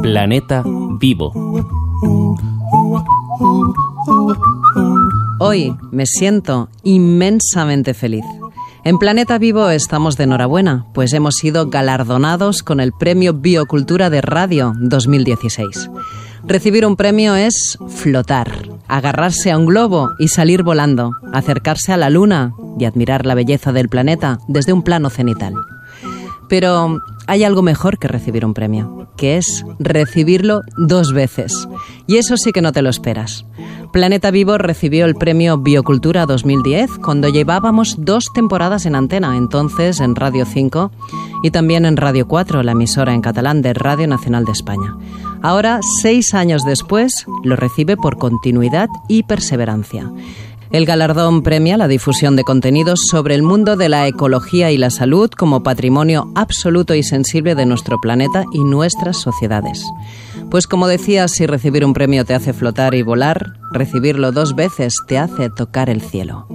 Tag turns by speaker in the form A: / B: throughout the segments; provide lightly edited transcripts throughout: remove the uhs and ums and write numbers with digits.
A: Planeta Vivo.
B: Hoy me siento inmensamente feliz. En Planeta Vivo estamos de enhorabuena, pues hemos sido galardonados con el Premio Biocultura de Radio 2016. Recibir un premio es flotar, agarrarse a un globo y salir volando, acercarse a la luna y admirar la belleza del planeta desde un plano cenital. Pero hay algo mejor que recibir un premio, que es recibirlo 2 veces. Y eso sí que no te lo esperas. Planeta Vivo recibió el premio Biocultura 2010 cuando llevábamos 2 temporadas en antena, entonces en Radio 5 y también en Radio 4, la emisora en catalán de Radio Nacional de España. Ahora, 6 años después, lo recibe por continuidad y perseverancia. El galardón premia la difusión de contenidos sobre el mundo de la ecología y la salud como patrimonio absoluto y sensible de nuestro planeta y nuestras sociedades. Pues como decía, si recibir un premio te hace flotar y volar, recibirlo 2 veces te hace tocar el cielo.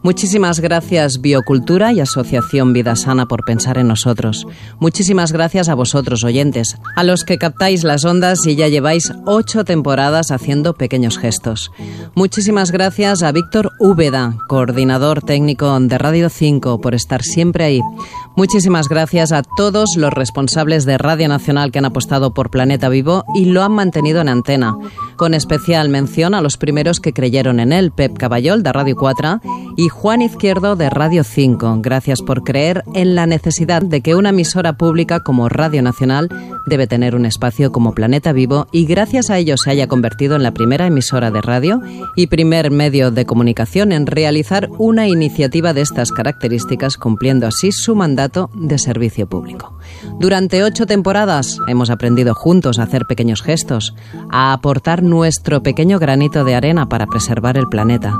B: Muchísimas gracias Biocultura y Asociación Vida Sana por pensar en nosotros. Muchísimas gracias a vosotros, oyentes, a los que captáis las ondas y ya lleváis 8 temporadas haciendo pequeños gestos. Muchísimas gracias a Víctor Úbeda, coordinador técnico de Radio 5, por estar siempre ahí. Muchísimas gracias a todos los responsables de Radio Nacional que han apostado por Planeta Vivo y lo han mantenido en antena. Con especial mención a los primeros que creyeron en él, Pep Caballol, de Radio 4, y Juan Izquierdo, de Radio 5. Gracias por creer en la necesidad de que una emisora pública como Radio Nacional debe tener un espacio como Planeta Vivo y gracias a ello se haya convertido en la primera emisora de radio y primer medio de comunicación en realizar una iniciativa de estas características, cumpliendo así su mandato de servicio público. Durante 8 temporadas hemos aprendido juntos a hacer pequeños gestos, a aportar nuestro pequeño granito de arena para preservar el planeta,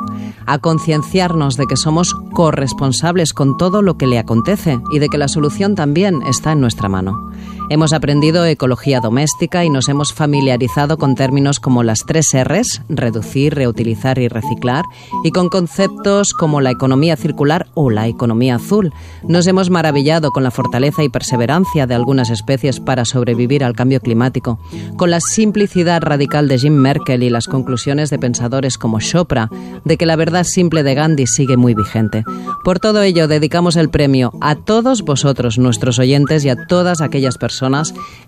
B: a concienciarnos de que somos corresponsables con todo lo que le acontece y de que la solución también está en nuestra mano. Hemos aprendido ecología doméstica y nos hemos familiarizado con términos como las 3 R's, reducir, reutilizar y reciclar, y con conceptos como la economía circular o la economía azul. Nos hemos maravillado con la fortaleza y perseverancia de algunas especies para sobrevivir al cambio climático, con la simplicidad radical de Jim Merkel y las conclusiones de pensadores como Chopra de que la verdad simple de Gandhi sigue muy vigente. Por todo ello, dedicamos el premio a todos vosotros, nuestros oyentes, y a todas aquellas personas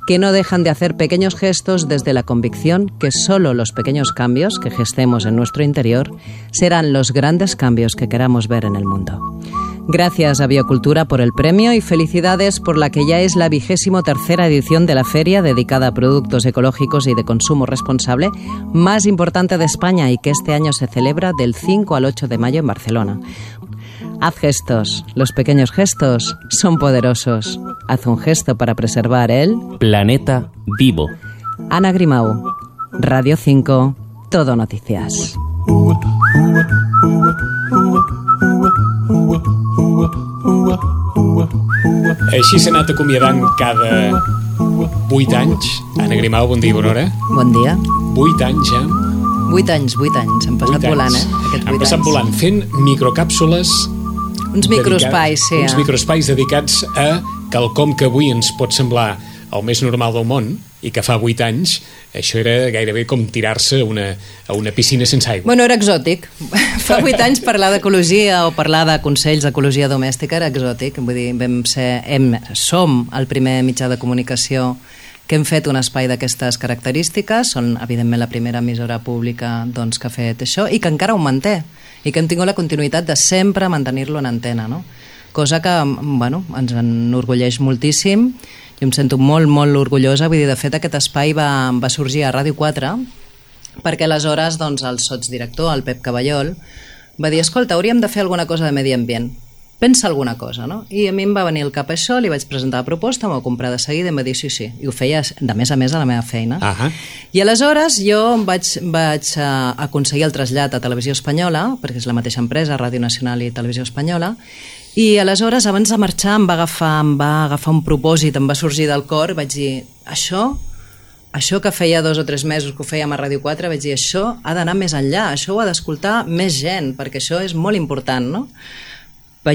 B: que no dejan de hacer pequeños gestos desde la convicción que solo los pequeños cambios que gestemos en nuestro interior serán los grandes cambios que queramos ver en el mundo. Gracias a Biocultura por el premio y felicidades por la que ya es la 23ª edición de la feria dedicada a productos ecológicos y de consumo responsable más importante de España y que este año se celebra del 5 al 8 de mayo en Barcelona. Haz gestos. Los pequeños gestos son poderosos. Haz un gesto para preservar el
A: Planeta Vivo.
B: Ana Grimau, Radio 5, Todo Noticias.
C: Així s'ha anat acomiadant cada 8 anys. Ana Grimau, bon dia, bona hora.
B: Bon dia.
C: 8 anys,
B: 8 anys. Han passat volant, aquests 8 anys.
C: Han passat volant, fent microcàpsules...
B: Uns microespais, sí.
C: Uns microespais dedicats a quelcom que avui ens pot semblar el més normal del món i que fa 8 anys això era gairebé com tirar-se a una piscina sense aigua.
B: Bueno, era exòtic. Fa 8 anys parlar d'ecologia o parlar de consells d'ecologia domèstica era exòtic. Vull dir, som el primer mitjà de comunicació que hem fet un espai d'aquestes característiques. Són, evidentment, la primera emissora pública doncs, que ha fet això i que encara ho manté i que hem tingut la continuïtat de sempre mantenir-lo en antena, no? Cosa que, bueno, ens enorgulleix moltíssim. Jo em sento molt, molt orgullosa. Vull dir, de fet, aquest espai va sorgir a Ràdio 4 perquè aleshores doncs, el sotsdirector, el Pep Caballol, va dir, escolta, hauríem de fer alguna cosa de medi ambient. Pensa alguna cosa, no? I a mi em va venir al cap això, li vaig presentar la proposta, m'ho va comprar de seguida i em va dir sí. I ho feia de més a més a la meva feina. I aleshores jo vaig aconseguir el trasllat a Televisió Espanyola, perquè és la mateixa empresa, Ràdio Nacional i Televisió Espanyola, i aleshores abans de marxar em va agafar un propòsit, em va sorgir del cor, vaig dir, això que feia 2 o 3 mesos que ho fèiem a Ràdio 4, vaig dir, això ha d'anar més enllà, això ho ha d'escoltar més gent, perquè això és molt important, no?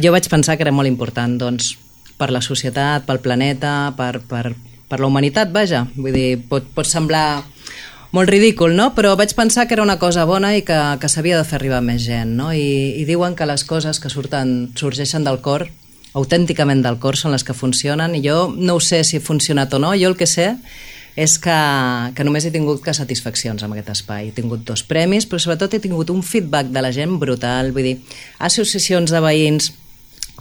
B: Jo vaig pensar que era molt important, doncs per la societat, pel planeta, per la humanitat, vaja. Vull dir, pot semblar molt ridícul, no? Però vaig pensar que era una cosa bona i que s'havia de fer arribar més gent, no? I diuen que les coses que sorgeixen del cor, autènticament del cor, són les que funcionen, i jo no ho sé si ha funcionat o no. Jo el que sé és que només he tingut que satisfaccions amb aquest espai. He tingut 2 premis, però sobretot he tingut un feedback de la gent brutal, vull dir, associacions de veïns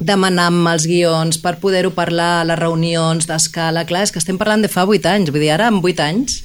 B: demanant-me els guions per poder-ho parlar a les reunions d'escala. Clar, és que estem parlant de fa 8 anys, vull dir, ara amb 8 anys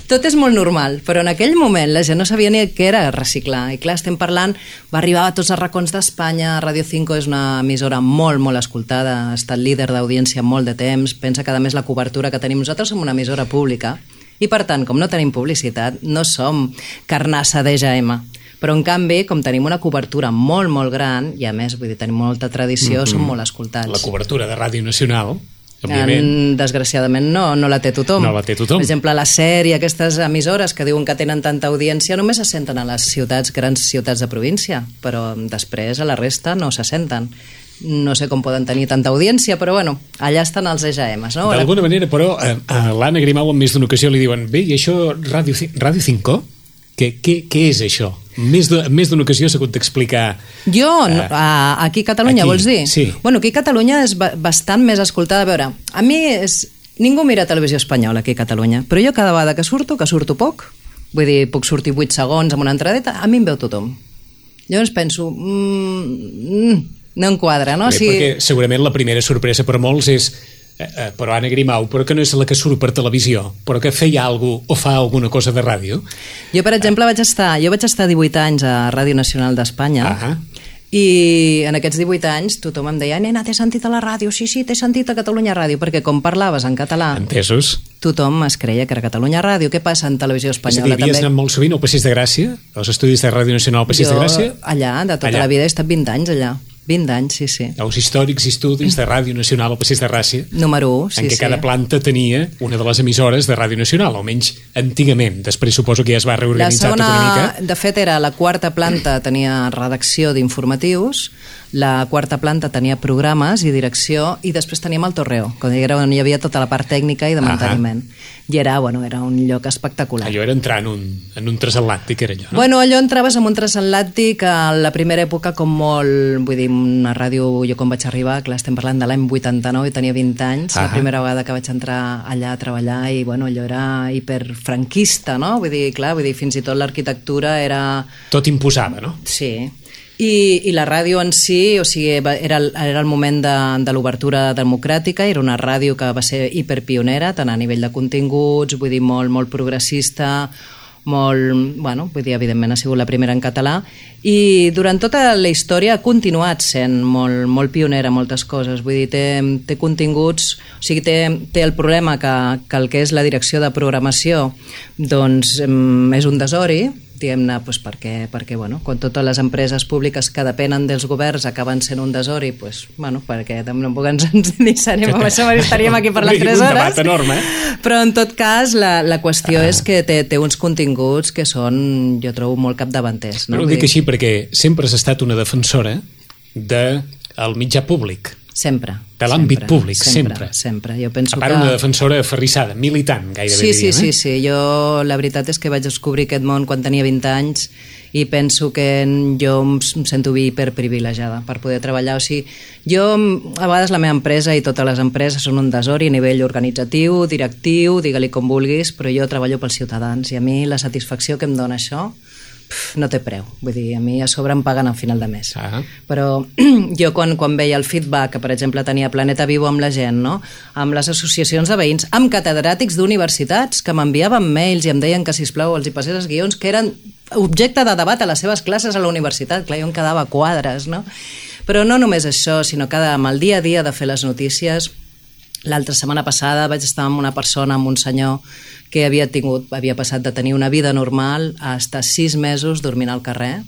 B: tot és molt normal, però en aquell moment la gent no sabia ni què era reciclar. I clar, estem parlant, va arribar a tots els racons d'Espanya. Radio 5 és una emissora molt, molt escoltada, ha estat líder d'audiència molt de temps. Pensa que a més la cobertura que tenim nosaltres som una emissora pública i per tant, com no tenim publicitat, no som carnassa d'EGM. Però en canvi, com tenim una cobertura molt, molt gran, i a més, vull dir, tenim molta tradició, som molt escoltats.
C: La cobertura de Ràdio Nacional, òbviament.
B: Desgraciadament no la té tothom.
C: No la té tothom.
B: Per exemple, la SER i aquestes emissores que diuen que tenen tanta audiència només se senten a les grans ciutats de província, però després a la resta no se senten. No sé com poden tenir tanta audiència, però bueno, allà estan els EGMs, no?
C: D'alguna manera, però, a l'Anna Grimau en més d'una ocasió li diuen: bé, i això, Ràdio 5? Què és això? Més d'una ocasió s'ha hagut d'explicar.
B: Jo, aquí a Catalunya,
C: aquí,
B: vols dir?
C: Sí.
B: Bueno, aquí a Catalunya és bastant més escoltada. A veure, a mi ningú mira televisió espanyola aquí a Catalunya, però jo cada vegada que surto poc, vull dir, puc sortir 8 segons amb una entradeta, a mi em veu tothom. Llavors penso, no enquadra, no?
C: Bé, perquè segurament la primera sorpresa per molts és però Anna Grimau, però que no és la que surt per televisió, però que feia alguna cosa o fa alguna cosa de ràdio.
B: Jo, per exemple, vaig estar 18 anys a Ràdio Nacional d'Espanya, i en aquests 18 anys tothom em deia: nena, t'he sentit a la ràdio. Sí, t'he sentit a Catalunya Ràdio, perquè com parlaves en català,
C: entesos,
B: tothom es creia que era Catalunya Ràdio. Què passa en televisió espanyola?
C: És a dir, havies anat molt sovint al Passeig de Gràcia, als estudis de Ràdio Nacional al Passeig de Gràcia?
B: Allà, de tota la vida, he estat 20 anys allà. 20 anys, sí.
C: Els històrics estudis de Ràdio Nacional al Passeig de Gràcia,
B: número 1, sí,
C: en què cada planta tenia una de les emissores de Ràdio Nacional, almenys antigament. Després suposo que ja es va reorganitzar tota una mica.
B: De fet, era la 4ª planta, tenia redacció d'informatius, la 4ª planta tenia programes i direcció, i després teníem el Torreo, on hi havia tota la part tècnica i de manteniment. I era un lloc espectacular.
C: Allò era entrar en un transatlàntic, era allò, no?
B: Bueno, allò entraves en un transatlàntic a la primera època com molt, vull dir, una ràdio, jo quan vaig arribar, clar, estem parlant de l'any 89 i tenia 20 anys, la primera vegada que vaig entrar allà a treballar, i bueno, allò era hiperfranquista, no? Vull dir, fins i tot l'arquitectura era...
C: Tot imposava, no?
B: Sí. I la ràdio en si, o sigui, era el moment de l'obertura democràtica, era una ràdio que va ser hiperpionera, tant a nivell de continguts, vull dir, molt progressista, molt, bueno, vull dir, evidentment ha sigut la primera en català, i durant tota la història ha continuat sent molt pionera en moltes coses. Vull dir, té continguts, o sigui, té el problema que el que és la direcció de programació doncs és un desori, diguem-ne, doncs perquè bueno, quan totes les empreses públiques que depenen dels governs acaben sent un desori, doncs, bueno, perquè tampoc ens deixaríem amb això, estaríem aquí parlant 3 hores.
C: Un debat enorme,
B: Però en tot cas la qüestió és que té uns continguts que són, jo trobo, molt capdavanters.
C: Però ho dic així perquè sempre has estat una defensora del mitjà públic.
B: Sempre.
C: De l'àmbit públic, sempre.
B: Sempre. Jo penso
C: a part, una defensora aferrissada, militant, gairebé diríem.
B: Sí. Jo, la veritat és que vaig descobrir aquest món quan tenia 20 anys i penso que jo em sento hiperprivilegiada per poder treballar. O sigui, jo, a vegades la meva empresa i totes les empreses són un desori a nivell organitzatiu, directiu, digue-li com vulguis, però jo treballo pels ciutadans i a mi la satisfacció que em dona això no té preu, vull dir, a mi a sobre em paguen al final de mes. Però jo quan veia el feedback que per exemple tenia Planeta Vivo amb la gent, no? Amb les associacions de veïns, amb catedràtics d'universitats que m'enviaven mails i em deien que sisplau els hi passés els guions que eren objecte de debat a les seves classes a la universitat, clar, jo em quedava a quadres, no? Però no només això, sinó que amb el dia a dia de fer les notícies. L'altra setmana passada vaig estar amb una persona, amb un senyor que havia passat de tenir una vida normal a estar 6 mesos dormint al carrer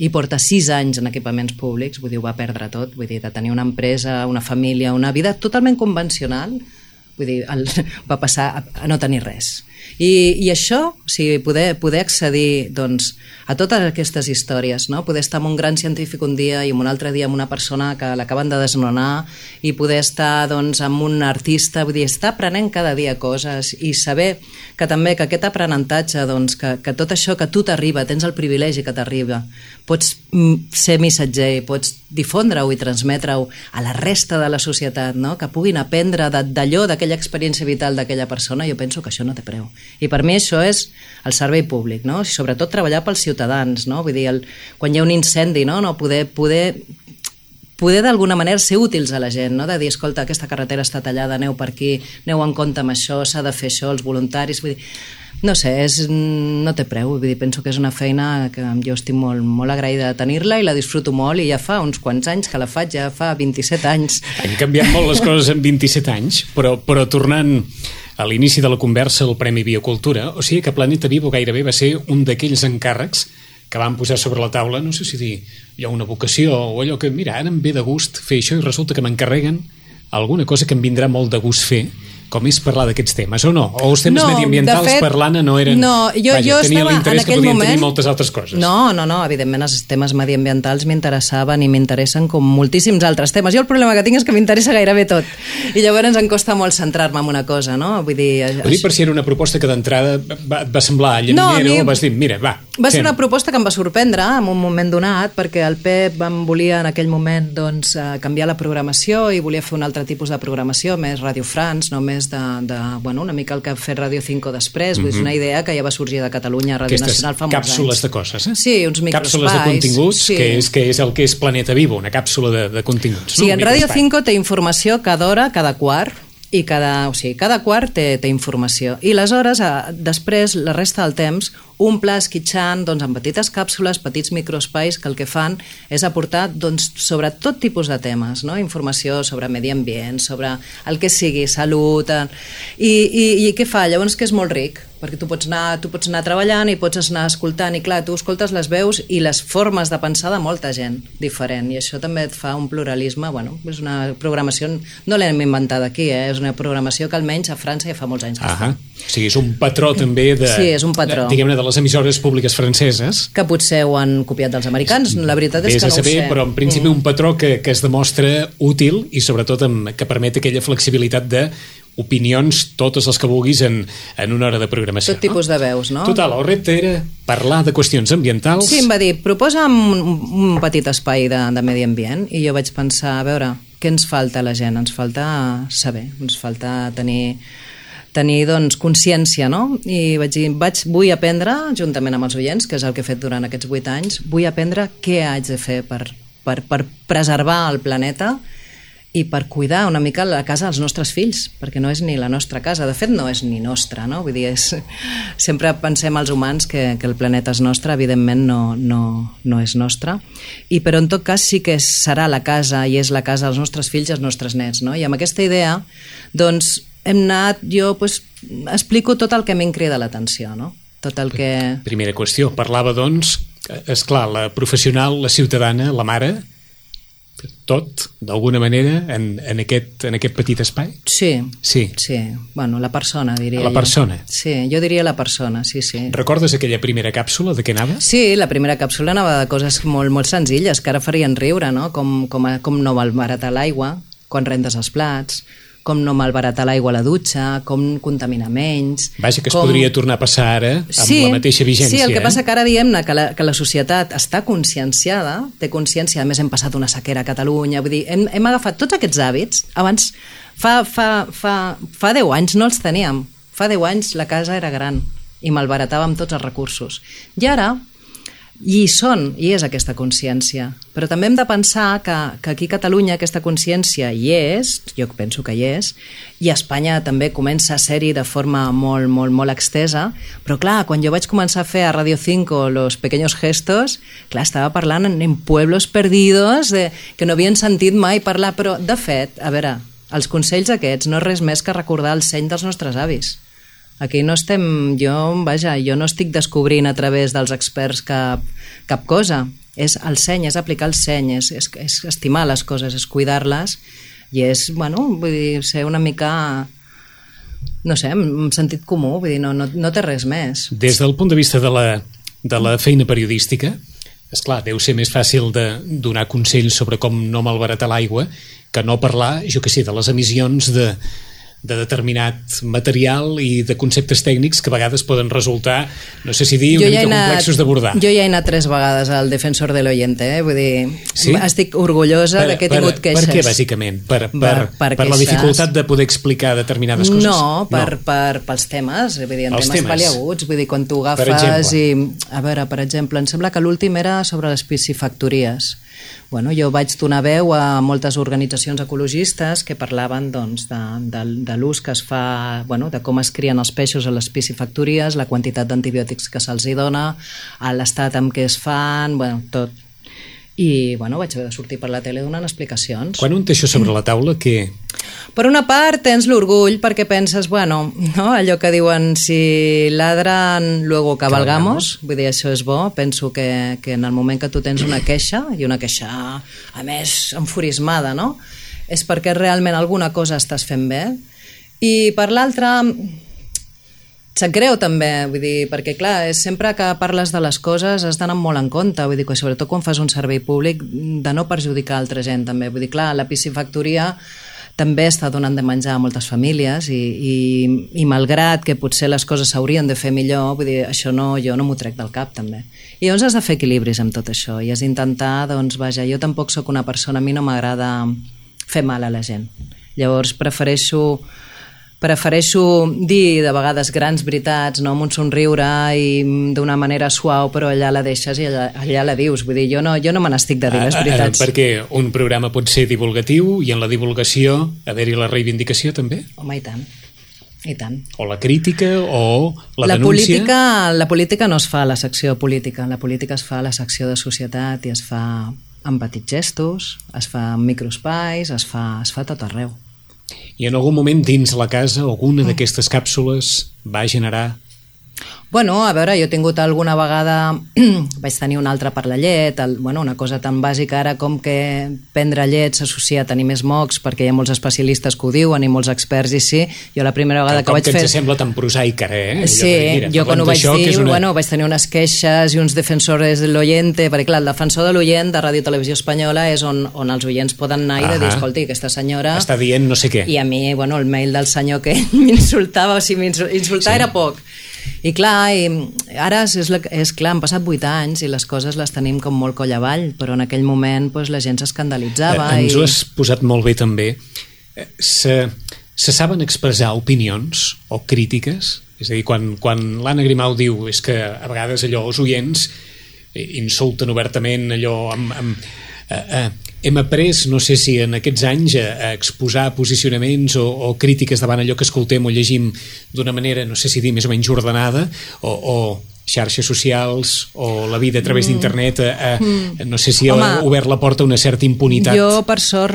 B: i porta 6 anys en equipaments públics, vull dir, ho va perdre tot, vull dir, de tenir una empresa, una família, una vida totalment convencional, vull dir, va passar a no tenir res. I això, o sigui, poder accedir doncs, a totes aquestes històries, no? Poder estar amb un gran científic un dia i un altre dia amb una persona que l'acaben de desnonar i poder estar doncs, amb un artista, vull dir, estar aprenent cada dia coses i saber que també que aquest aprenentatge, doncs, que tot això que a tu t'arriba, tens el privilegi que t'arriba, pots ser missatger, pots difondre-ho i transmetre-ho a la resta de la societat, no? Que puguin aprendre d'allò, d'aquella experiència vital d'aquella persona, jo penso que això no té preu. I per mi això és el servei públic, no? I sobretot treballar pels ciutadans, no? Vull dir, quan hi ha un incendi, no? Poder d'alguna manera ser útils a la gent, no? De dir, escolta, aquesta carretera està tallada, aneu per aquí, aneu en compte amb això, s'ha de fer això, els voluntaris, vull dir, no sé, no té preu, vull dir, penso que és una feina que jo estic molt, molt agraïda de tenir-la i la disfruto molt i ja fa uns quants anys que la faig, ja fa 27 anys.
C: Han canviat molt les coses en 27 anys, però tornant a l'inici de la conversa al Premi Biocultura, o sigui que Planeta Vivo gairebé va ser un d'aquells encàrrecs que van posar sobre la taula, no sé si dir, hi ha una vocació o allò que, mira, ara em ve de gust fer això i resulta que m'encarreguen alguna cosa que em vindrà molt de gust fer, com és parlar d'aquests temes, o no? O els temes mediambientals, de fet, per l'Anna no eren...
B: No, jo
C: tenien l'interès que podien tenir moltes altres coses.
B: No, evidentment els temes mediambientals m'interessaven i m'interessen com moltíssims altres temes. Jo el problema que tinc és que m'interessa gairebé tot. I llavors em costa molt centrar-me en una cosa, no? Vull dir per
C: si era una proposta que d'entrada et va semblar llaminera o vas dir, mira, va.
B: Va ser una proposta que em va sorprendre en un moment donat, perquè el Pep em volia en aquell moment doncs, canviar la programació i volia fer un altre tipus de programació, més Radio France, no més bueno, una mica el que ha fet Radio 5 després, és una idea que ja va sorgir de Catalunya, Ràdio Nacional fa molts anys.
C: Càpsules de coses, eh?
B: Sí, uns microespais.
C: Càpsules de continguts, sí. que és el que és Planeta Vivo, una càpsula de continguts.
B: Sí, en Ràdio 5 té informació cada hora, cada quart, i cada quart té informació. I aleshores, després, la resta del temps, un pla esquitxant doncs, amb petites càpsules, petits microespais que el que fan és aportar doncs, sobre tot tipus de temes, no? Informació sobre medi ambient, sobre el que sigui, salut... I què fa? Llavors que és molt ric, perquè tu pots anar treballant i pots anar escoltant, i clar, tu escoltes les veus i les formes de pensar de molta gent diferent, i això també et fa un pluralisme, bueno, és una programació, no l'hem inventat aquí, és una programació que almenys a França ja fa molts anys que es fa.
C: O sigui, és un patró també
B: sí, és un patró.
C: Diguem-ne, de les emissores públiques franceses.
B: Que potser ho han copiat dels americans, la veritat és que no ho sé.
C: Però en principi un patró que es demostra útil i sobretot que permet aquella flexibilitat de opinions, totes les que vulguis en una hora de programació.
B: Tot tipus de veus, no?
C: Total, el repte era parlar de qüestions ambientals.
B: Sí, em va dir, proposa'm un petit espai de medi ambient, i jo vaig pensar, a veure, què ens falta a la gent? Ens falta saber, ens falta tenir doncs, consciència, no? I vaig dir, vull aprendre, juntament amb els oients, que és el que he fet durant aquests 8 anys, vull aprendre què haig de fer per preservar el planeta i per cuidar una mica la casa dels nostres fills, perquè no és ni la nostra casa, de fet no és ni nostra, no? Vull dir, sempre pensem els humans que el planeta és nostre, evidentment no és nostre, però en tot cas sí que serà la casa i és la casa dels nostres fills i els nostres nets, no? I amb aquesta idea, doncs, hem anat, jo explico tot el que a mi em crida l'atenció, no? Tot el que...
C: Primera qüestió, parlava doncs, esclar, la professional, la ciutadana, la mare, tot, d'alguna manera, en aquest petit espai?
B: Sí. Bueno, la persona, diria jo.
C: La persona?
B: Sí, jo diria la persona, sí.
C: Recordes aquella primera càpsula, de què anava?
B: Sí, la primera càpsula anava de coses molt, molt senzilles, que ara farien riure, no? Com no malbaratar l'aigua quan rentes els plats, com no malbaratar l'aigua a la dutxa, com contaminar menys...
C: Vaja, que es podria tornar a passar ara amb la mateixa vigència.
B: Sí, el que passa que ara diem que la societat està conscienciada, té consciència, a més hem passat una sequera a Catalunya, vull dir, hem agafat tots aquests hàbits, abans, fa 10 anys no els teníem, fa 10 anys la casa era gran i malbaratàvem tots els recursos. I ara... I és aquesta consciència, però també hem de pensar que aquí a Catalunya aquesta consciència hi és, jo penso que hi és, i a Espanya també comença a ser-hi de forma molt, molt, molt extesa, però clar, quan jo vaig començar a fer a Radio 5 Los Pequeños Gestos, clar, estava parlant en pueblos perdidos que no havien sentit mai parlar, però de fet, a veure, els consells aquests no és res més que recordar el seny dels nostres avis. Aquí no estem, jo no estic descobrint a través dels experts cap cosa. És el seny, és aplicar el seny, és estimar les coses, és cuidar-les i és, bueno, vull dir, ser una mica no sé, amb sentit comú, vull dir, no té res més.
C: Des del punt de vista de la feina periodística, esclar, deu ser més fàcil de donar consells sobre com no malbaratar l'aigua que no parlar, jo que sé, de les emissions de determinat material i de conceptes tècnics que a vegades poden resultar, no sé si dir, una mica complexos d'abordar.
B: Jo ja he anat 3 vegades al Defensor de l'Oyente, vull dir,
C: sí?
B: Estic orgullosa de que he tingut queixes.
C: Per què, bàsicament? Per la dificultat de poder explicar determinades coses?
B: No, pels temes, vull dir, en temes paliaguts, vull dir, quan tu agafes i... A veure, per exemple, em sembla que l'últim era sobre les piscifactories. Bueno, jo vaig donar veu a moltes organitzacions ecologistes que parlaven doncs, de l'ús que es fa, bueno, de com es crien els peixos a les piscifactories, la quantitat d'antibiòtics que se'ls dona, l'estat amb què es fan, bueno, tot. I bueno, vaig haver de sortir per la tele donant explicacions.
C: Quan un té això sobre la taula, què?
B: Per una part tens l'orgull perquè penses, bueno, no? Allò que diuen si ladran luego cabalgamos, vull dir, això és bo. Penso que en el moment que tu tens una queixa, i una queixa a més enfurismada, no? És perquè realment alguna cosa estàs fent bé. I per l'altra, sap greu també, vull dir, perquè clar, sempre que parles de les coses has d'anar molt en compte, vull dir, que sobretot quan fas un servei públic, de no perjudicar altra gent també, vull dir, clar, la piscifactoria també està donant de menjar a moltes famílies i malgrat que potser les coses s'haurien de fer millor, vull dir, això jo no m'ho trec del cap també. I llavors has de fer equilibris amb tot això i has d'intentar, doncs vaja, jo tampoc sóc una persona, a mi no m'agrada fer mal a la gent. Llavors prefereixo dir de vegades grans veritats, no? Amb un somriure i d'una manera suau, però allà la deixes i allà la dius. Vull dir, jo no me n'estic de dir les veritats.
C: Perquè un programa pot ser divulgatiu i en la divulgació haver-hi la reivindicació també?
B: Home, i tant. I tant.
C: O la crítica o la denúncia?
B: La política no es fa a la secció política, la política es fa a la secció de societat i es fa amb petits gestos, es fa en microespais, es fa tot arreu.
C: I en algun moment dins la casa alguna d'aquestes càpsules va generar...
B: Bueno, a veure, jo he tingut alguna vegada, vaig tenir una altra per la llet, una cosa tan bàsica ara com que prendre llet s'associa a tenir més mocs, perquè hi ha molts especialistes que ho diuen i molts experts i sí, jo la primera vegada que vaig fer...
C: Com que ens sembla tan prosaica,
B: Sí, jo quan ho vaig dir, vaig tenir unes queixes i uns defensores de l'oyente, perquè clar, el defensor de l'oient de Ràdio Televisió Espanyola és on els oients poden anar i de dir, escolti, aquesta senyora...
C: Està dient no sé què.
B: I a mi, el mail del senyor que m'insultava, o sigui, insultar era poc. I clar, ara és clar, han passat 8 anys i les coses les tenim com molt coll avall, però en aquell moment la gent s'escandalitzava.
C: Ens ho has posat molt bé també. Se saben expressar opinions o crítiques? És a dir, quan l'Anna Grimau diu és que a vegades allò els oients insulten obertament allò hem après, no sé si en aquests anys, a exposar posicionaments o crítiques davant allò que escoltem o llegim d'una manera, no sé si dir més o menys ordenada, o xarxes socials o la vida a través d'internet, no sé si ha obert la porta a una certa impunitat.
B: Jo, per sort,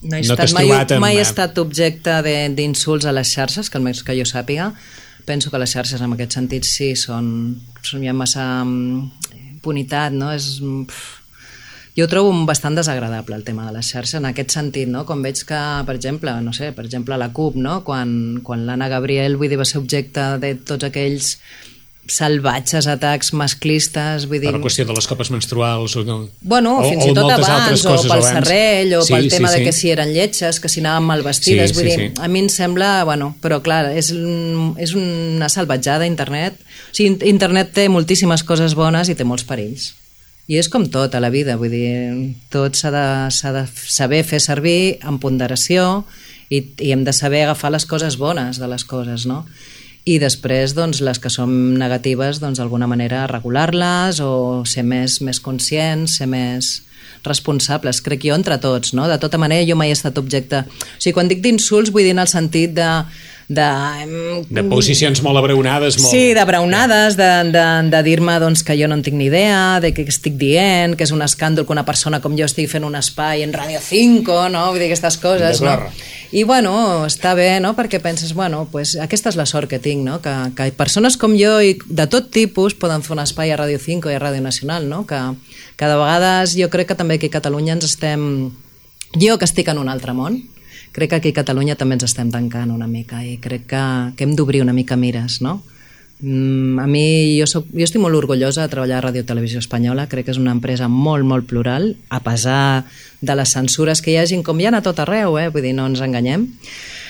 B: mai he estat objecte d'insults a les xarxes, que almenys que jo sàpiga. Penso que les xarxes en aquest sentit sí, són ja massa impunitat, no? Jo ho trobo bastant desagradable el tema de les xarxes en aquest sentit, no? Com veig que, per exemple, la CUP, no? Quan l'Anna Gabriel va ser objecte de tots aquells salvatges atacs masclistes, vull dir...
C: Per la qüestió de les copes menstruals
B: fins i tot abans, o pel serrell, o pel tema de que si eren lletges, que si anaven mal vestides, vull dir, a mi em sembla, però clar, és una salvatjada internet. O sigui, internet té moltíssimes coses bones i té molts perills. I és com tot a la vida, vull dir, tot s'ha de saber fer servir amb ponderació i hem de saber agafar les coses bones de les coses, no? I després, doncs, les que són negatives, doncs, d'alguna manera regular-les o ser més conscients, ser més responsables, crec jo, entre tots, no? De tota manera, jo mai he estat objecte... O sigui, quan dic d'insults, vull dir en el sentit de
C: posicions molt abraonades.
B: Sí, d'abraonades, de dir-me doncs, que jo no en tinc ni idea, de què estic dient, que és un escàndol que una persona com jo estigui fent un espai en Radio 5, no? Vull dir, aquestes coses, no? I, està bé, no? Perquè penses, aquesta és la sort que tinc, no? Que persones com jo i de tot tipus poden fer un espai a Radio 5 i a Ràdio Nacional, no? Que de vegades jo crec que també aquí a Catalunya ens estem... Jo que estic en un altre món, crec que aquí a Catalunya també ens estem tancant una mica i crec que hem d'obrir una mica mires, no? A mi, jo estic molt orgullosa de treballar a Ràdio Televisió Espanyola, crec que és una empresa molt, molt plural, a pesar de les censures que hi hagin, com hi ha a tot arreu, vull dir, no ens enganyem,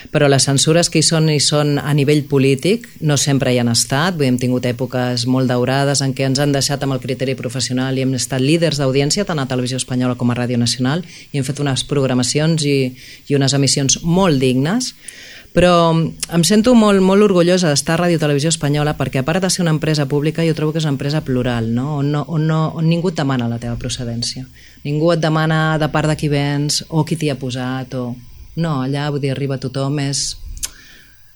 B: però les censures que hi són a nivell polític, no sempre hi han estat, vull dir, hem tingut èpoques molt daurades en què ens han deixat amb el criteri professional i hem estat líders d'audiència tant a Televisió Espanyola com a Ràdio Nacional i hem fet unes programacions i unes emissions molt dignes, però em sento molt, molt orgullosa d'estar a Ràdio Televisió Espanyola perquè a part de ser una empresa pública jo trobo que és una empresa plural, no? On ningú et demana la teva procedència, ningú et demana de part de qui vens o qui t'hi ha posat o... No, allà vull dir, arriba tothom,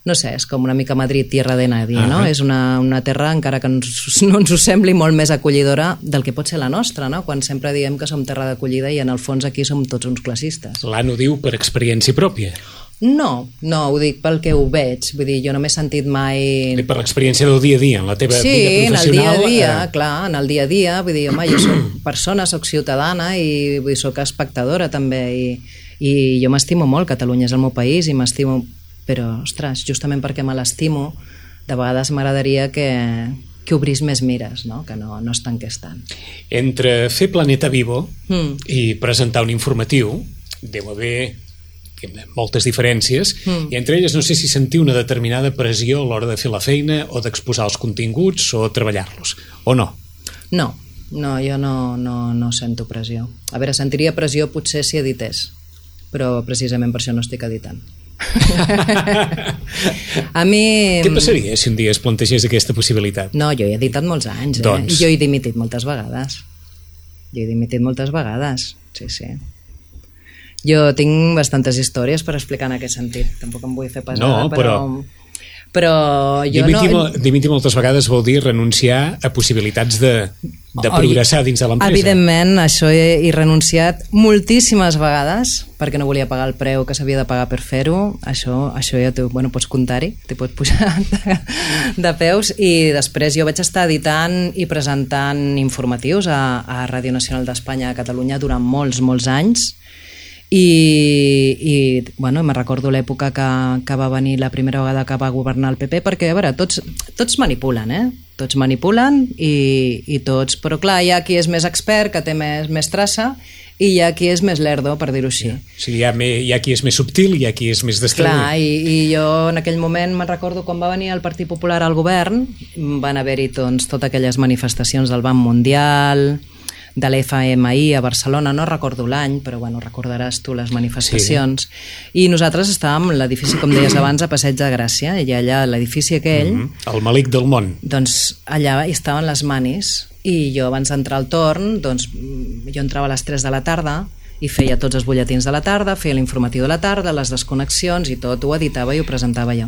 B: no sé, és com una mica Madrid, tierra de nadie, no? És una terra, encara que no ens ho sembli, molt més acollidora del que pot ser la nostra, no? Quan sempre diem que som terra d'acollida i en el fons aquí som tots uns classistes.
C: L'Anna ho diu per experiència pròpia.
B: No, ho dic pel que ho veig, vull dir, jo no m'he sentit mai...
C: Per l'experiència del dia a dia, en la teva vida professional...
B: Sí, en el dia a dia, clar, en el dia a dia, vull dir, home, jo soc persona, soc ciutadana i vull dir, soc espectadora també i jo m'estimo molt, Catalunya és el meu país i m'estimo, però, ostres, justament perquè me l'estimo, de vegades m'agradaria que obrís més mires, no? Que no es tanqués tant.
C: Entre fer Planeta Vivo i presentar un informatiu, deu haver moltes diferències, i entre elles no sé si sentir una determinada pressió a l'hora de fer la feina o d'exposar els continguts o treballar-los, o no?
B: No, jo no sento pressió. A veure, sentiria pressió potser si edités, però precisament per això no estic editant. A mi...
C: Què passaria si un dia es plantegés aquesta possibilitat?
B: No, jo he editat molts anys,
C: Doncs...
B: Jo he dimitit moltes vegades. Sí. Jo tinc bastantes històries per explicar en aquest sentit. Tampoc em vull fer pesada, però jo
C: dimitir moltes vegades vol dir renunciar a possibilitats de progressar dins de l'empresa.
B: Evidentment, això he renunciat moltíssimes vegades perquè no volia pagar el preu que s'havia de pagar per fer-ho. Això ja pots comptar-hi, t'hi pots pujar de peus, i després jo vaig estar editant i presentant informatius a Ràdio Nacional d'Espanya a Catalunya durant molts anys. I me recordo l'època que va venir la primera vegada que va governar el PP, perquè a veure, tots manipulen, tots manipulen i tots, però clar, hi ha qui és més expert, que té més traça, i hi ha qui és més lerdo, per dir-ho així.
C: Sí, hi ha qui és més subtil i hi ha qui és més destraler.
B: Clar, i jo en aquell moment me'n recordo quan va venir el Partit Popular al govern, van haver-hi totes aquelles manifestacions del Banc Mundial, de l'FMI a Barcelona, no recordo l'any, però recordaràs tu les manifestacions, i nosaltres estàvem a l'edifici, com deies abans, a Passeig de Gràcia, i allà l'edifici aquell...
C: El malic del món.
B: Doncs allà hi estaven les manis, i jo abans d'entrar al torn, doncs jo entrava a les 3 de la tarda i feia tots els butlletins de la tarda, feia l'informatiu de la tarda, les desconnexions i tot, ho editava i ho presentava jo.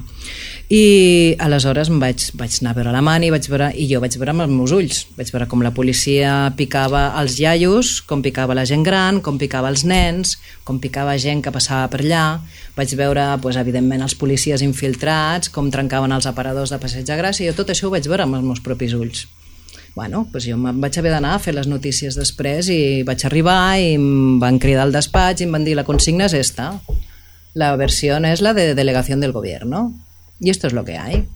B: I aleshores vaig anar a veure la mani i jo vaig veure amb els meus ulls, vaig veure com la policia picava els iaios, com picava la gent gran, com picava els nens, com picava gent que passava per allà, vaig veure, evidentment, els policies infiltrats, com trencaven els aparadors de Passeig de Gràcia, i jo tot això ho vaig veure amb els meus propis ulls. Jo em vaig haver d'anar a fer les notícies després i vaig arribar i em van cridar al despatx i em van dir: la consigna es esta, la versión es la de delegación del gobierno y esto es lo que hay.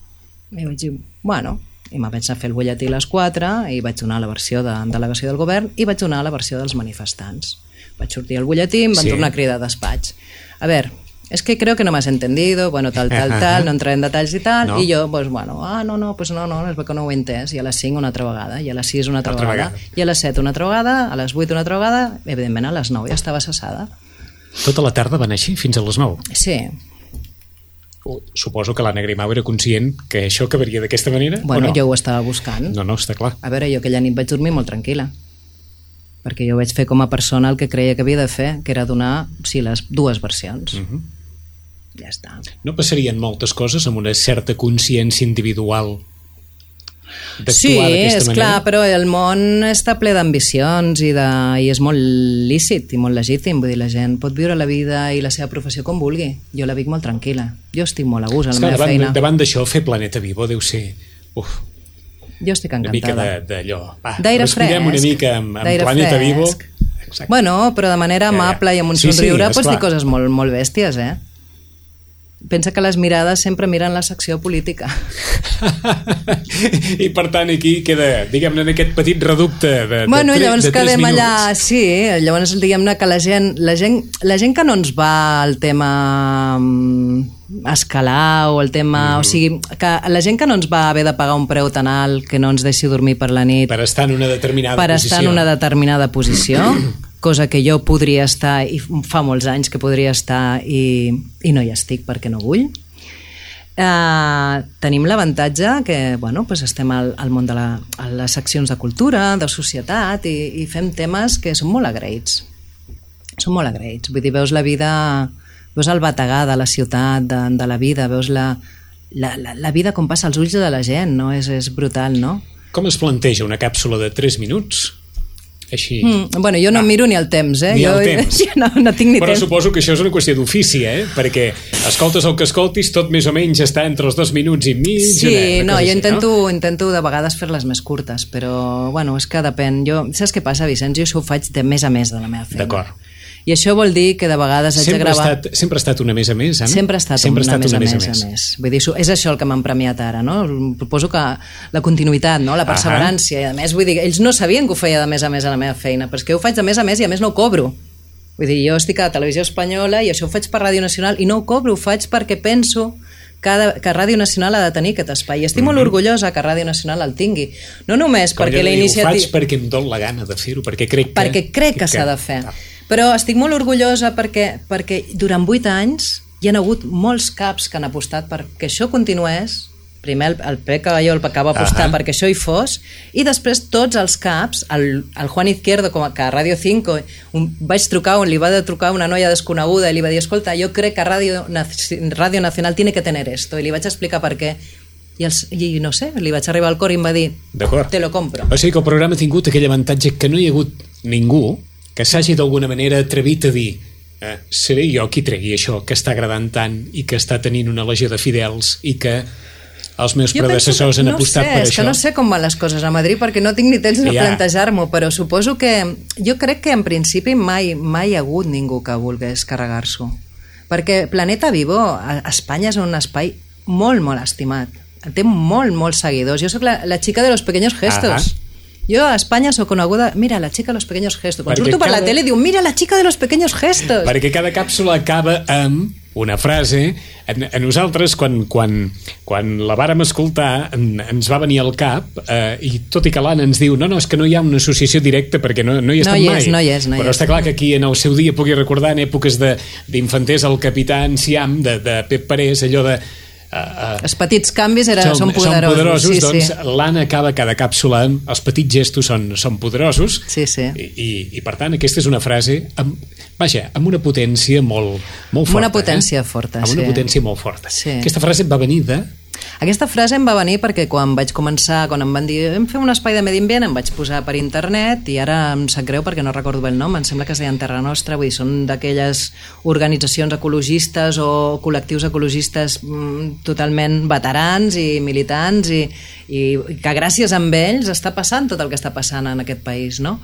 B: I vaig dir, i me vaig anar a fer el butlletí a les 4 i vaig donar la versió de delegació del govern i vaig donar la versió dels manifestants. Vaig sortir al butlletí i em van tornar a cridar a despatx. A ver, es que creo que no me has entendido, tal, no entraré en detalls i tal, no. I jo, no, es veu que no ho he entès, i a les 5 una altra vegada, i a les 6 una altra vegada, i a les 7 una altra vegada, a les 8 una altra vegada, evidentment a les 9 ja estava cessada.
C: Tota la tarda van així, fins a les 9?
B: Sí.
C: Suposo que l'Anna Grimau era conscient que això acabaria d'aquesta manera, o no?
B: Jo ho estava buscant.
C: No, està clar.
B: A veure, jo aquella nit vaig dormir molt tranquil·la, perquè jo vaig fer com a persona el que creia que havia de fer, que era donar, les dues versions. Ja està.
C: No passarien moltes coses amb una certa consciència individual d'actuar d'aquesta manera?
B: Sí, clar, però el món està ple d'ambicions i és molt lícit i molt legítim, vull dir, la gent pot viure la vida i la seva professió com vulgui. Jo la vic molt tranquil·la, jo estic molt a gust a la meva feina.
C: Davant d'això, fer Planeta Vivo deu ser...
B: Jo estic encantada.
C: Una mica d'allò.
B: D'aire fresc.
C: Una mica amb Planeta Vivo.
B: Però de manera amable i amb un somriure pots dir coses molt, molt bèsties, pensa que les mirades sempre miren la secció política.
C: I per tant aquí queda, diguem-ne, en aquest petit reducte de
B: llavors
C: 3
B: quedem
C: minuts.
B: allà, sí, llavors diguem-ne que la gent que no ens va al tema escalar o el tema... O sigui, que la gent que no ens va haver de pagar un preu tan alt que no ens deixi dormir per la nit...
C: Per estar en una determinada
B: per
C: posició.
B: estar en una determinada posició, cosa que jo podria estar, i fa molts anys que podria estar, i no hi estic perquè no vull. Tenim l'avantatge que estem al món de les seccions de cultura, de societat, i fem temes que són molt agraïts. Són molt agraïts. Vull dir, veus la vida... Veus el bategar de la ciutat, de la vida, veus la vida com passa als ulls de la gent, no? És brutal, no?
C: Com es planteja una càpsula de 3 minuts? Així...
B: jo no miro ni el temps,
C: Ni el temps.
B: No tinc ni
C: Però
B: temps.
C: suposo que això és una qüestió d'ofici, perquè escoltes el que escoltis, tot més o menys està entre els 2 minuts i mig.
B: Sí, jo intento de vegades fer-les més curtes, però, és que depèn. Saps què passa, Vicenç? Jo això ho faig de més a més de la meva feina.
C: D'acord.
B: I això vol dir que de vegades haig de gravar...
C: Sempre ha estat una més a més, Anna?
B: Sempre ha estat una més a més. Vull dir, és això el que m'han premiat ara, no? Proposo que la continuïtat, no? La perseverància, i a més, vull dir, ells no sabien que ho feia de més a més a la meva feina, però és que ho faig de més a més i a més no ho cobro. Vull dir, jo estic a Televisió Espanyola i això ho faig per Ràdio Nacional i no ho cobro, ho faig perquè penso que Ràdio Nacional ha de tenir aquest espai. I estic molt orgullosa que Ràdio Nacional el tingui. No només perquè la iniciativa...
C: Ho faig perquè em dol la gana de fer-ho, perquè crec
B: que s'ha de fer. Però estic molt orgullosa perquè durant 8 anys hi ha hagut molts caps que han apostat perquè això continués. Primer el Pep Caballó que va apostar perquè això hi fos, i després tots els caps, el Juan Izquierdo, com que a Radio 5 li va trucar una noia desconeguda i li va dir, escolta, jo crec que Radio Nacional tiene que tener esto, i li vaig explicar per què. I no sé, li vaig arribar al cor i em va dir, te lo compro.
C: O sigui que el programa ha tingut aquell avantatge que no hi ha hagut ningú que s'hagi d'alguna manera atrevit a dir seré jo qui tregui això que està agradant tant i que està tenint una legió de fidels i que els meus predecessors han apostat per això.
B: És que no sé com van les coses a Madrid perquè no tinc ni temps de plantejar-m'ho, però suposo que jo crec que en principi mai hi ha hagut ningú que volgués carregar-s'ho, perquè Planeta Vivo a Espanya és un espai molt, molt estimat, té molts seguidors. Jo sóc la xica de los pequeños gestos. Jo a Espanya sóc coneguda, mira, la xica de los pequeños gestos. Quan surto per la tele diu, mira, la xica de los pequeños gestos.
C: Perquè cada càpsula acaba amb una frase. A nosaltres, quan la vàrem escoltar, ens va venir al cap, i tot i que l'Anna ens diu, no, és que no hi ha una associació directa perquè no hi estem mai.
B: No hi és.
C: Però està clar que aquí en el seu dia pugui recordar en èpoques d'infanters el capità Enciam, de Pep Parés, allò de...
B: els petits canvis són poderosos.
C: Doncs l'Anna acaba cada càpsula amb els petits gestos són poderosos.
B: Sí.
C: I per tant aquesta és una frase amb una potència molt forta.
B: Una potència forta,
C: amb una potència molt forta.
B: Sí.
C: Aquesta frase va venir
B: Aquesta frase em va venir perquè quan vaig començar, quan em van dir hem fet un espai de medi ambient, em vaig posar per internet i ara em sap greu perquè no recordo bé el nom, em sembla que es deien Terra Nostra, vull dir, són d'aquelles organitzacions ecologistes o col·lectius ecologistes totalment veterans i militants i que gràcies a ells està passant tot el que està passant en aquest país, no?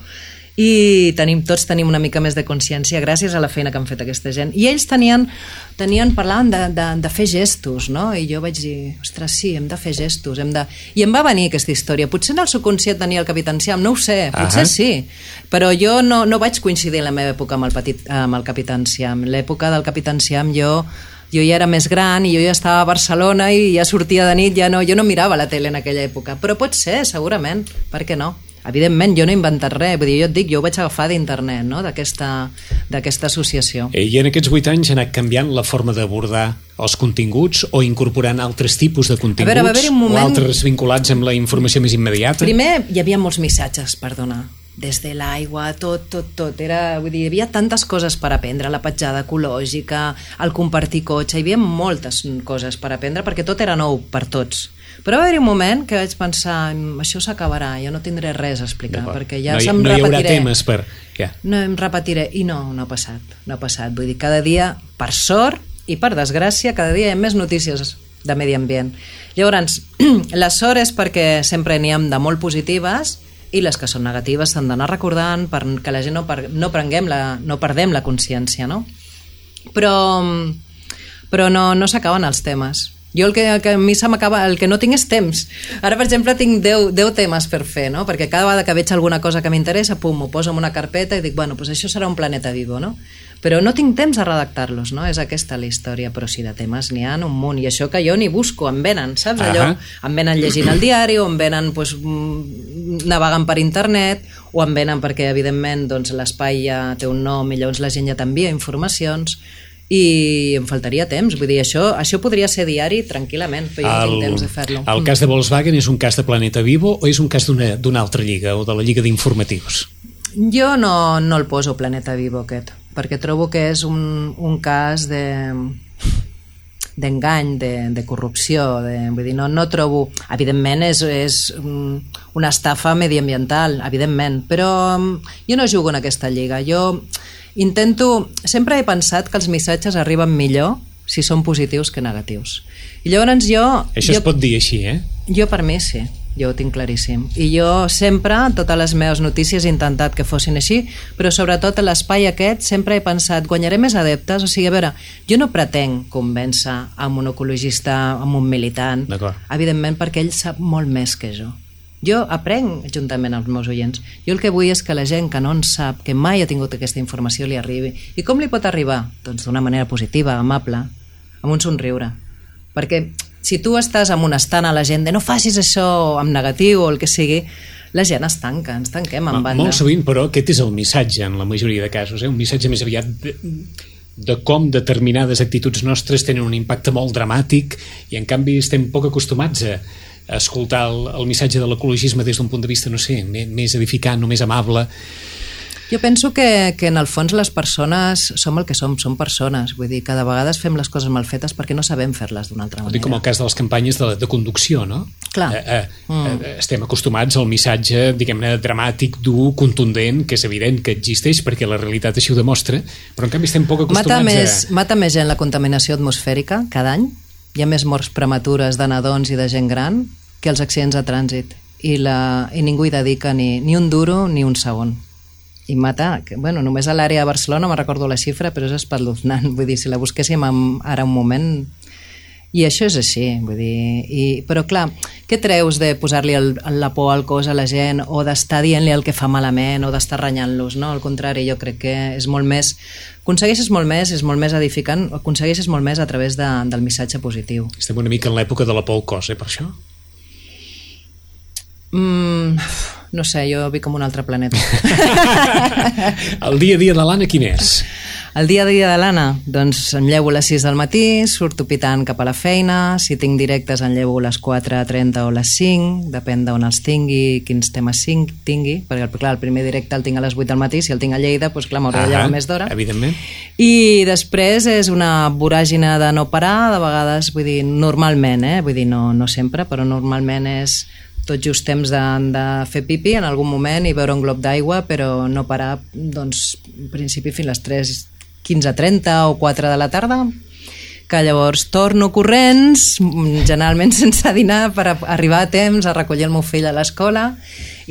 B: I tots tenim una mica més de consciència gràcies a la feina que han fet aquesta gent, i ells parlaven de fer gestos, no? I jo vaig dir, ostres, sí, hem de fer gestos, i em va venir aquesta història. Potser en el subconscient tenia el Capità Enciam, no ho sé, potser sí, però jo no vaig coincidir en la meva època amb el Capità Enciam. L'època del Capità Enciam jo ja era més gran i jo ja estava a Barcelona i ja sortia de nit, jo no mirava la tele en aquella època, però pot ser, segurament, per què no? Evidentment, jo no he inventat res, vull dir, jo et dic, jo ho vaig agafar d'internet, no? d'aquesta associació.
C: I en aquests 8 anys ha anat canviant la forma d'abordar els continguts o incorporant altres tipus de continguts o altres vinculats amb la informació més immediata?
B: Primer hi havia molts missatges per donar, des de l'aigua, tot. Vull dir, hi havia tantes coses per aprendre, la petjada ecològica, el compartir cotxe, hi havia moltes coses per aprendre perquè tot era nou per tots. Però va haver-hi un moment que vaig pensar, això s'acabarà, jo no tindré res a explicar, perquè ja
C: no hi haurà temes per...
B: No em repetiré, i no ha passat. Vull dir, cada dia, per sort i per desgràcia, cada dia hi ha més notícies de medi ambient. Llavors, la sort és perquè sempre n'hi ha de molt positives i les que són negatives s'han d'anar recordant perquè la gent no perdem la consciència, no? Però però no s'acaben els temes. Jo el que a mi se m'acaba, el que no tinc és temps. Ara, per exemple, tinc 10 temes per fer, no? Perquè cada vegada que veig alguna cosa que m'interessa, pum, ho poso en una carpeta i dic, bueno, pues això serà un Planeta Vivo, no? Però no tinc temps de redactar-los, no? És aquesta la història, però sí, de temes n'hi ha un munt, i això que jo ni busco, em venen, saps? Allò, em venen llegint el diari, o em venen pues, navegant per internet, o em venen perquè, evidentment, doncs, l'espai ja té un nom i llavors la gent ja t'envia informacions, i em faltaria temps, vull dir, això podria ser diari tranquil·lament, però jo no tinc temps de fer-lo.
C: El cas de Volkswagen és un cas de Planeta Vivo o és un cas d'una altra lliga, o de la lliga d'informatius?
B: Jo no el poso Planeta Vivo aquest, perquè trobo que és un cas d'engany, de corrupció, vull dir, no trobo... Evidentment és una estafa mediambiental, evidentment, però jo no jugo en aquesta lliga. Jo sempre he pensat que els missatges arriben millor si són positius que negatius. I llavors
C: Això es pot dir així, eh?
B: Jo per mi sí, jo ho tinc claríssim. I jo sempre, totes les meves notícies, he intentat que fossin així, però sobretot a l'espai aquest sempre he pensat, guanyaré més adeptes, o sigui, a veure, jo no pretenc convèncer amb un ecologista, amb un militant, evidentment perquè ell sap molt més que jo. Jo aprenc juntament amb els meus oients. Jo el que vull és que la gent que no en sap, que mai ha tingut aquesta informació, li arribi. I com li pot arribar? Doncs d'una manera positiva, amable, amb un somriure. Perquè si tu estàs amb un estant a la gent de no facis això amb negatiu o el que sigui, la gent ens tanquem en banda.
C: Molt sovint, però, aquest és el missatge en la majoria de casos, un missatge més aviat de com determinades actituds nostres tenen un impacte molt dramàtic i en canvi estem poc acostumats a escoltar el missatge de l'ecologisme des d'un punt de vista, no sé, més edificant o més amable.
B: Jo penso que en el fons les persones som el que som persones, vull dir que de vegades fem les coses mal fetes perquè no sabem fer-les d'una altra manera.
C: Com el cas de les campanyes de conducció, no?
B: Clar.
C: Estem acostumats al missatge, diguem-ne, dramàtic, dur, contundent, que és evident que existeix perquè la realitat així ho demostra, però en canvi estem poc acostumats
B: Mata més gent la contaminació atmosfèrica cada any, hi ha més morts prematures de nadons i de gent gran que els accidents de trànsit i ningú hi dedica ni un duro ni un segon. I mata, només a l'àrea de Barcelona, no me'n recordo la xifra, però és espeluznant, vull dir, si la busquéssim ara un moment... I això és així, vull dir... Però clar, què treus de posar-li la por al cos a la gent o d'estar dient-li el que fa malament o d'estar renyant-los, no? Al contrari, jo crec que és molt més... Aconsegueixes molt més, és molt més edificant, aconsegueixes molt més a través del missatge positiu.
C: Estem una mica en l'època de la por al cos, per això?
B: No sé, jo vic com un altre planeta.
C: El dia a dia de l'Anna quin és?
B: El dia a dia de l'Anna? Doncs em llevo a les 6 del matí, surto pitant cap a la feina, si tinc directes em llevo a les 4:30 o les 5, depèn d'on els tingui, quins temes tingui, perquè clar, el primer directe el tinc a les 8 del matí, si el tinc a Lleida, doncs clar, m'hauré de llevar més d'hora.
C: Evidentment.
B: I després és una voràgina de no parar, de vegades, vull dir, normalment, vull dir, no sempre, però normalment és tot just temps de fer pipi en algun moment i beure un glob d'aigua, però no parar, doncs, en principi fins a les 3:15:30 o 4 de la tarda, que llavors torno corrents, generalment sense dinar, per arribar a temps a recollir el meu fill a l'escola,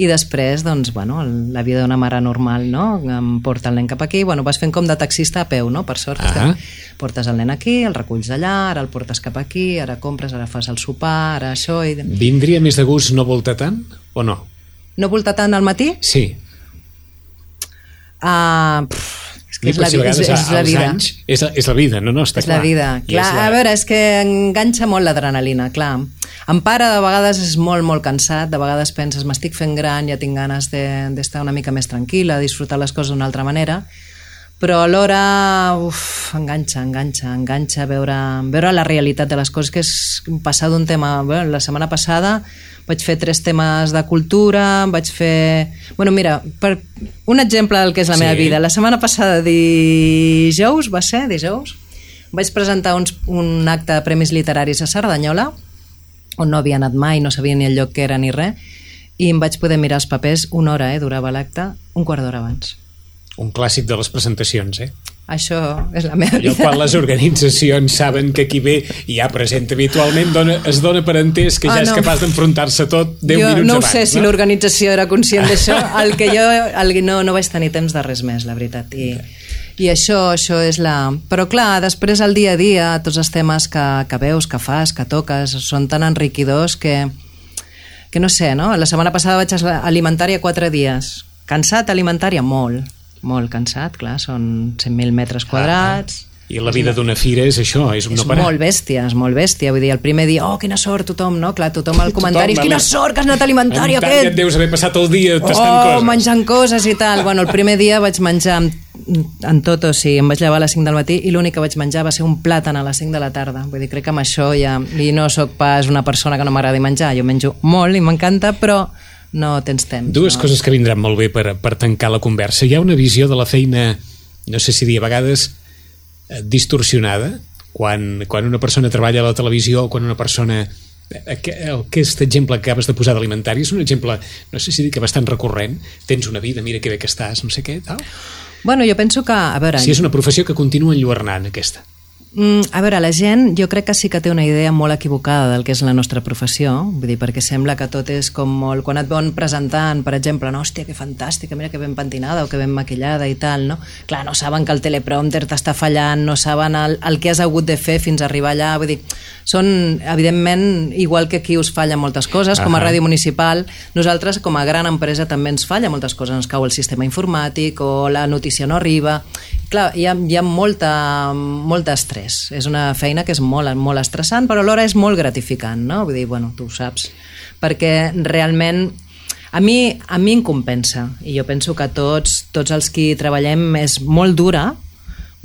B: i després, doncs, la vida d'una mare normal, no? Em porta el nen cap aquí, vas fent com de taxista a peu, no? Per sort, portes el nen aquí, el reculls allà, ara el portes cap aquí, ara compres, ara fas el sopar, ara això...
C: Vindria més de gust no voltar tant, o no?
B: No voltar tant al matí?
C: Sí.
B: És la vida.
C: És la vida, no? Està clar.
B: És la vida. Clar, a veure, és que enganxa molt l'adrenalina, clar. En pare, de vegades, és molt, molt cansat, de vegades penses, m'estic fent gran, ja tinc ganes d'estar una mica més tranquil·la, disfrutar les coses d'una altra manera, però alhora enganxa veure la realitat de les coses, que és passar d'un tema... La setmana passada vaig fer 3 temes de cultura, vaig fer... Mira, per un exemple del que és la meva vida, la setmana passada, dijous, vaig presentar un acte de premis literaris a Cerdanyola, on no havia anat mai, no sabia ni el lloc que era ni res, i em vaig poder mirar els papers una hora, durava l'acte, un quart d'hora abans.
C: Un clàssic de les presentacions,
B: Això és la meva vida.
C: Quan les organitzacions saben que qui ve i ja presenta habitualment es dona per entès que ja és capaç d'enfrontar-se tot 10 minuts abans.
B: Jo no ho sé si l'organització era conscient d'això, el que jo no vaig tenir temps de res més, la veritat. I això és la... Però clar, després el dia a dia, tots els temes que veus, que fas, que toques, són tan enriquidors que no sé, no? La setmana passada vaig a Alimentària 4 dies. Cansat, Alimentària? Molt cansat, clar, són 100.000 metres quadrats...
C: I la vida d'una fira és això, és un no parar.
B: És molt bèstia. Vull dir, el primer dia, quina sort, tothom, no? Clar, tothom al comentari, quina sort que has anat a Alimentària, aquest!
C: Et deus haver passat el dia tastant coses.
B: Menjant coses i tal. Bueno, el primer dia vaig menjar en tot, o sigui, em vaig llevar a les 5 del matí i l'únic que vaig menjar va ser un plàtan a les 5 de la tarda. Vull dir, crec que amb això ja... I no sóc pas una persona que no m'agradi menjar, jo menjo molt i m'encanta, però no tens temps.
C: Dues coses que vindran molt bé per tancar la conversa. Hi ha una visió de la feina, no sé si dir a vegades, distorsionada, quan una persona treballa a la televisió o quan una persona... Aquest exemple que acabes de posar d'Alimentari és un exemple, no sé si dir que bastant recurrent. Tens una vida, mira que bé que estàs, no sé què, tal.
B: Bueno, jo penso que... A veure...
C: Si és una professió que continua enlluernant, aquesta.
B: A veure, la gent jo crec que sí que té una idea molt equivocada del que és la nostra professió, vull dir, perquè sembla que tot és com molt... Quan et veuen presentant, per exemple, no, hòstia, que fantàstica, mira que ben pentinada o que ben maquillada i tal, no? Clar, no saben que el teleprompter t'està fallant, no saben el que has hagut de fer fins a arribar allà, vull dir, són, evidentment, igual que aquí us falla moltes coses, com a ràdio municipal, nosaltres, com a gran empresa, també ens falla moltes coses, ens cau el sistema informàtic o la notícia no arriba... Clar, hi ha molt estrès. És una feina que és molt estressant, però alhora és molt gratificant, no? Vull dir, bueno, tu ho saps. Perquè realment a mi em compensa. I jo penso que tots els que treballem és molt dura.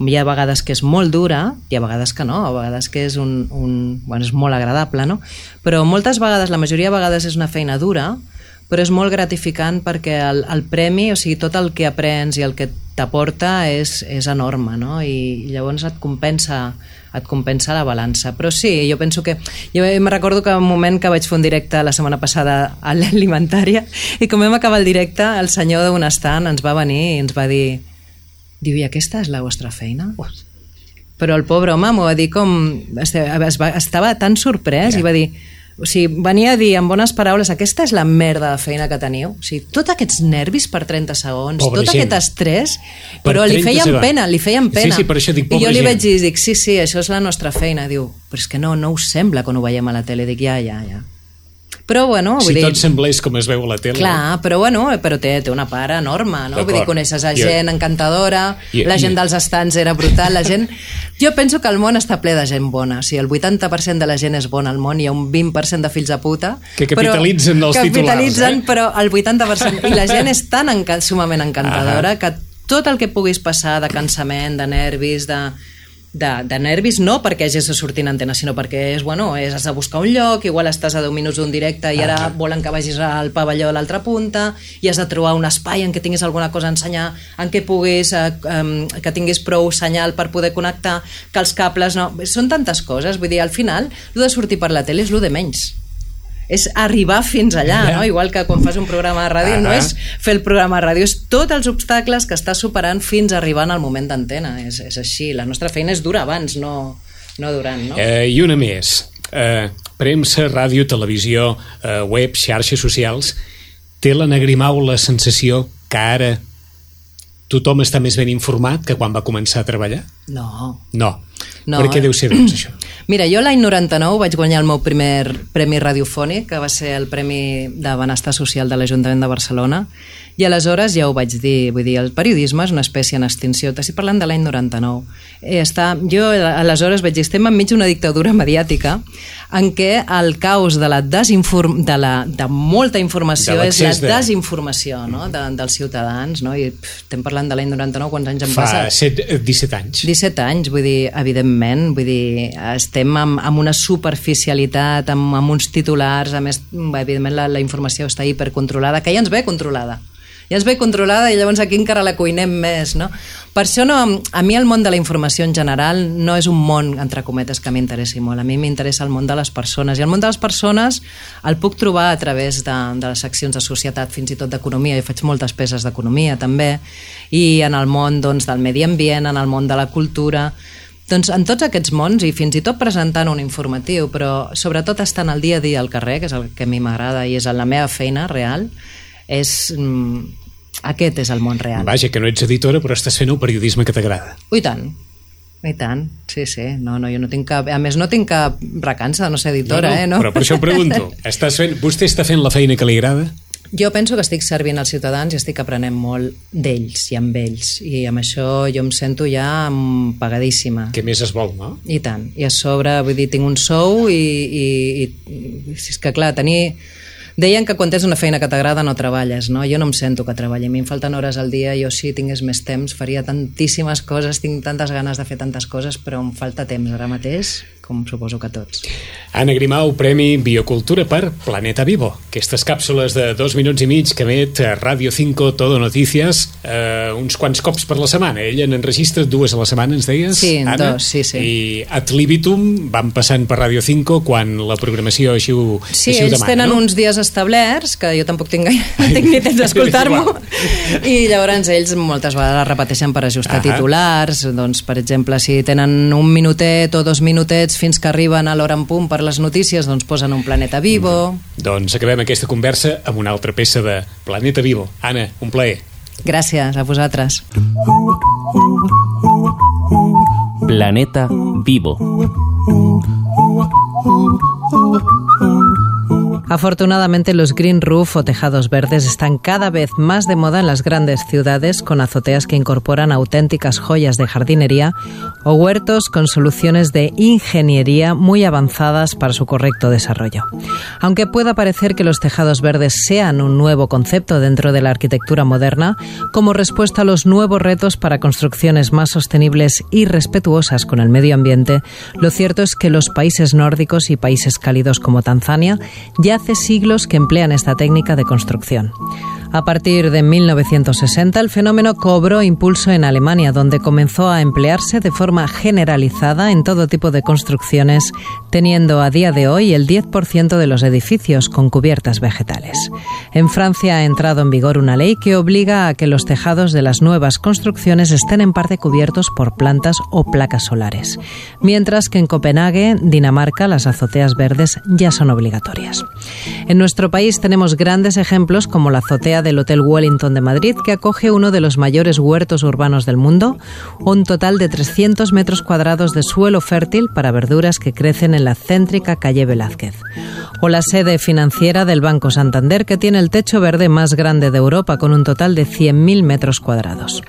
B: Hi ha vegades que és molt dura i a vegades que no, a vegades que és bueno, és molt agradable, no? Però moltes vegades, la majoria de vegades és una feina dura, però és molt gratificant perquè el premi, o sigui, tot el que aprens i el que t'aporta és enorme, no? I llavors et compensa la balança. Però sí, jo penso que... Jo me recordo que un moment que vaig fer un directe la setmana passada a l'Alimentària i com vam acabar el directe, el senyor d'un estant ens va venir i ens va dir, diu, i aquesta és la vostra feina? Però el pobre home m'ho va dir com... Estava tan sorprès i va dir... O sigui, venia a dir en bones paraules, aquesta és la merda de feina que teniu. O sigui, tots aquests nervis per 30 segons,
C: pobra
B: tot
C: gent.
B: Aquest estrès, però li feien pena.
C: Sí, per això dic,
B: I jo li
C: gent.
B: vaig dir, sí, això és la nostra feina. Diu, però és que no us sembla quan ho veiem a la tele. Dic, ja. Però bueno, vull
C: dir...
B: Si
C: tot semblés com es veu a la tele.
B: Clar, però bueno, té una part enorme, no? Vull dir, coneixes a gent encantadora, la gent dels estants era brutal, la gent... Jo penso que el món està ple de gent bona, o sigui, el 80% de la gent és bona al món, hi ha un 20% de fills de puta...
C: Que capitalitzen els titulars,
B: però el 80%... I la gent és tan sumament encantadora que tot el que puguis passar de cansament, de nervis, de nervis no perquè hagis de sortir en antena, sinó perquè has de buscar un lloc, igual estàs a 10 minuts d'un directe i ara volen que vagis al pavelló a l'altra punta i has de trobar un espai en què tinguis alguna cosa a ensenyar, en què puguis que tinguis prou senyal per poder connectar, que els cables no... Són tantes coses, vull dir, al final el de sortir per la tele és el de menys, és arribar fins allà, no? Igual que quan fas un programa de ràdio no és fer el programa de ràdio, és tots els obstacles que estàs superant fins a arribar al moment d'antena, és així, la nostra feina és dura abans, no durant, no?
C: I una més, premsa, ràdio, televisió, web, xarxes socials, té l'Anna Grimau la sensació que ara tothom està més ben informat que quan va començar a treballar?
B: No.
C: Per què deu ser, doncs, això?
B: Mira, jo l'any 99 vaig guanyar el meu primer premi radiofònic, que va ser el Premi de Benestar Social de l'Ajuntament de Barcelona, i aleshores ja ho vaig dir, vull dir, el periodisme és una espècie en extinció, t'estic parlant de l'any 99. Jo aleshores vaig dir, estem enmig d'una dictadura mediàtica en què el caos de de molta informació és la desinformació, no? Dels ciutadans, no? I estem parlant de l'any 99, quants anys han passat?
C: Fa 17 anys.
B: 17 anys, vull dir, evidentment, estem amb una superficialitat, amb uns titulars, a més, evidentment la informació està hipercontrolada, que ja ens ve controlada. Ja ens ve controlada i llavors aquí encara la cuinem més, no? Per això a mi el món de la informació en general no és un món, entre cometes, que m'interessi molt. A mi m'interessa el món de les persones, i el món de les persones el puc trobar a través de les seccions de societat, fins i tot d'economia, jo faig moltes peces d'economia també, i en el món del medi ambient, en el món de la cultura... Doncs en tots aquests mons, i fins i tot presentant un informatiu, però sobretot estant al dia a dia al carrer, que és el que a mi m'agrada i és la meva feina real, és Aquest és el món real.
C: Vaja, que no ets editora, però estàs fent el periodisme que t'agrada.
B: I tant. Sí. No, jo no tinc cap... A més, no tinc cap recança de no ser editora, no?
C: Però per això ho pregunto. Vostè està fent la feina que li agrada?
B: Jo penso que estic servint als ciutadans i estic aprenent molt d'ells i amb ells. I amb això jo em sento ja pagadíssima.
C: Què més es vol, no?
B: I tant. I a sobre, vull dir, tinc un sou i és que, clar, Deien que quan tens una feina que t'agrada no treballes, no? Jo no em sento que treballi. A mi em falten hores al dia, jo si tingués més temps faria tantíssimes coses, tinc tantes ganes de fer tantes coses, però em falta temps ara mateix, com suposo que tots.
C: Anna Grimau, Premi Biocultura per Planeta Vivo. Aquestes càpsules de 2 minuts i mig que emet a Radio 5 Todo Noticias uns quants cops per la setmana. Ella n'enregistra 2 a la setmana, ens deies,
B: sí,
C: Anna?
B: 2, sí.
C: I ad libitum van passant per Radio 5 quan la programació així ho demana,
B: Sí, ells tenen uns dies establerts, que jo tampoc tinc ni temps d'escoltar-m'ho, i llavors ells moltes vegades repeteixen per ajustar titulars. Doncs, per exemple, si tenen 1 minutet o 2 minutets fins que arriben a l'hora en punt per les notícies, doncs posen un Planeta Vivo.
C: Doncs acabem aquesta conversa amb una altra peça de Planeta Vivo. Anna, un plaer.
B: Gràcies a vosaltres.
A: Planeta Vivo.
B: Afortunadamente, los green roof o tejados verdes están cada vez más de moda en las grandes ciudades, con azoteas que incorporan auténticas joyas de jardinería o huertos con soluciones de ingeniería muy avanzadas para su correcto desarrollo. Aunque pueda parecer que los tejados verdes sean un nuevo concepto dentro de la arquitectura moderna, como respuesta a los nuevos retos para construcciones más sostenibles y respetuosas con el medio ambiente, lo cierto es que los países nórdicos y países cálidos como Tanzania ya hace siglos que emplean esta técnica de construcción. A partir de 1960, el fenómeno cobró impulso en Alemania, donde comenzó a emplearse de forma generalizada en todo tipo de construcciones, teniendo a día de hoy el 10% de los edificios con cubiertas vegetales. En Francia ha entrado en vigor una ley que obliga a que los tejados de las nuevas construcciones estén en parte cubiertos por plantas o placas solares, mientras que en Copenhague, Dinamarca, las azoteas verdes ya son obligatorias. En nuestro país tenemos grandes ejemplos como la azotea del Hotel Wellington de Madrid, que acoge uno de los mayores huertos urbanos del mundo, un total de 300 metros cuadrados de suelo fértil para verduras que crecen en la céntrica calle Velázquez. O la sede financiera del Banco Santander, que tiene el techo verde más grande de Europa, con un total de 100.000 metros cuadrados.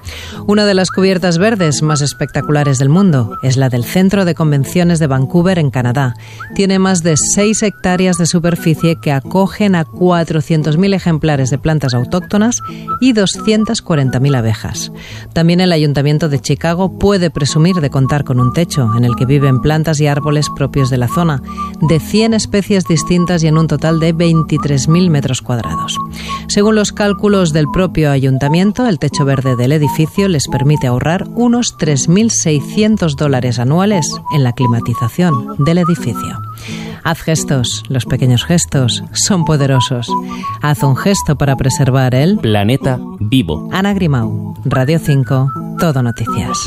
B: Una de las cubiertas verdes más espectaculares del mundo es la del Centro de Convenciones de Vancouver, en Canadá. Tiene más de 6 hectáreas de superficie que acogen a 400.000 ejemplares de plantas autóctonas y 240.000 abejas. También el Ayuntamiento de Chicago puede presumir de contar con un techo en el que viven plantas y árboles propios de la zona, de 100 especies distintas y en un total de 23.000 metros cuadrados. Según los cálculos del propio Ayuntamiento, el techo verde del edificio les permite ahorrar unos $3.600 anuales en la climatización del edificio. Haz gestos, los pequeños gestos son poderosos. Haz un gesto para preservar el
A: Planeta Vivo.
B: Anna Grimau, Radio 5, Todo Noticias.